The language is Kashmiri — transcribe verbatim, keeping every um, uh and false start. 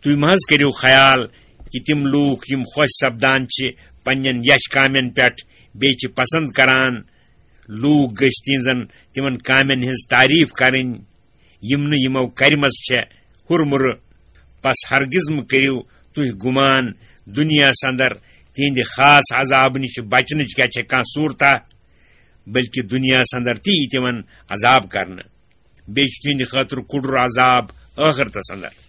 تُہۍ مہ حظ کٔرِو خیال کہِ تِم لوٗکھ یِم خۄش سپدان چھِ پننٮ۪ن یچھ کامٮ۪ن پٮ۪ٹھ، بیٚیہِ چھِ پسند کران لوٗکھ گٔژھۍ تِہنٛزن تِمن کامٮ۪ن ہٕنٛز تعریف کرٕنۍ، یِم نہٕ یِمو کرِمژ چھےٚ ہُرمُرٕ۔ پس ہرگز مہٕ کٔرِو تُہۍ گُمان دُنیاہس اندر تِہنٛدِ خاص عذابہٕ نِش بچنٕچ کیٛاہ چھےٚ کانٛہہ صوٗرتاہ، بلکہِ دُنیاہس اندر تہِ یی تِمن عذاب کرنہٕ۔ بیٚیہِ چھُ تِہنٛدِ خٲطرٕ کُڈُر عذاب ٲخرتس اندر۔